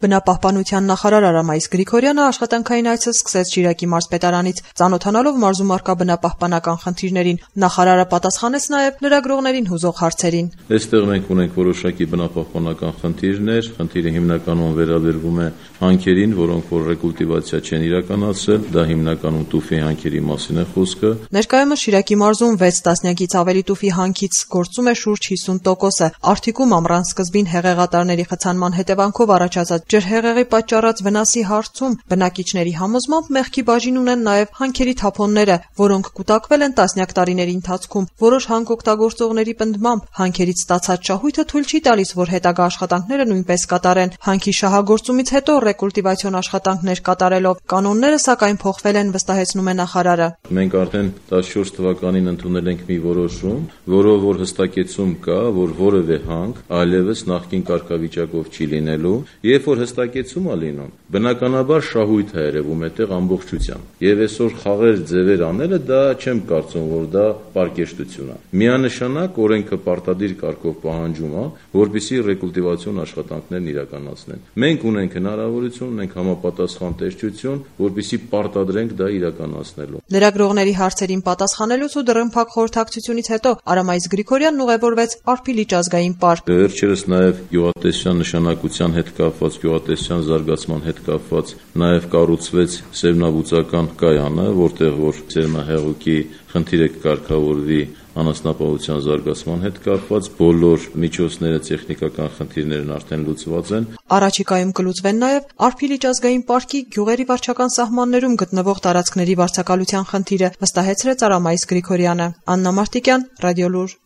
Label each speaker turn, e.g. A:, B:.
A: Բնապահպանության նախարար Արամայիս Գրիգորյանը աշխատանքային այցը սկսեց Շիրակի մարզպետարանից, ծանոթանալով մարզում առկա բնապահպանական խնդիրներին։ Նախարարը պատասխանեց նաև լրագրողներին հուզող հարցերին։
B: Այստեղ մենք ունենք որոշակի բնապահպանական խնդիրներ, խնդիրը հիմնականում վերաբերվում է հանքերին, որոնք որ ռեկուլտիվացիա չեն իրականացրել, դա հիմնականում տուֆի հանքերի մասին է խոսքը։
A: Ներկայումս Շիրակի մարզում 6 տասնյակից ավելի տուֆի հանքից գործում է շուրջ 50%-ը։ Արդյունքում ամռան սկզբին հեղեղատարների խցանման հետևանքով առաջացած ջրհեղեղի պատճառած վնասի հարցում բնակիչների համոզմամբ մեղքի բաժին ունեն նաև հանքերի թափոնները, որոնք կուտակվել են տասնյակ տարիների ընթացքում։ Որոշ հանքօգտագործողների պնդմամբ հանքերից ստացած շահույթը թույլ չի տալիս, որ հետագա աշխատանքները նույնպես կատարեն։ Հանքի շահագործումից հետո ռեկուլտիվացիոն աշխատանքներ կատարելով կանոնները սակայն փոխվել են, վստահեցնում է նախարարը։
B: Մենք արդեն 14 թվականին ընդունել ենք մի որոշում, որով որ հստակեցում կա, որ որևէ հանք այլևս նախկին կարգավիճակով չի լինելու, երբ որ հստակեցում է լինում, բնականաբար շահույթ է երևում այդտեղ ամբողջությամբ։ Եվ այսօր խաղեր ձևեր անելը դա չեմ կարծում, որ դա պարկեշտություն է։ Միանշանակ օրենքը պարտադիր կարգով պահանջում է, որպեսզի ռեկուլտիվացիոն աշխատանքներն իրականացնեն։ Մենք ունենք հնարավորություն, ունենք համապատասխան տեսչություն, որպեսզի պարտադրենք դա իրականացնելու։
A: Լրագրողների հարցերին պատասխանելուց ու դռնփակ խորհրդակցությունից հետո Արամայիս Գրիգորյանն ուղևորվեց Արփիլիճ ազգային պարկ։
B: Վերջերս նաև գյուղատնտեսության նշանակության հետ կապված, գյուղատնտեսության զարգացման հետ կապված նաև կառուցվեց սերմնաբուծական կայանը, որտեղ որ սերմնահեղուկի խնդիրը կկարգավորվի անասնապահության զարգացման հետ կապված, բոլոր միջոցները, տեխնիկական խնդիրներն արդեն լուծված են։
A: Առաջիկայում կլուծվեն նաև Արփիլիճ ազգային պարկի գյուղերի վարչական սահմաններում գտնվող տարածքների վարձակալության խնդիրը, վստահեցրեց Արամայիս Գրիգորյանը։ Աննա Մարտիկյան, Ռադիոլուր։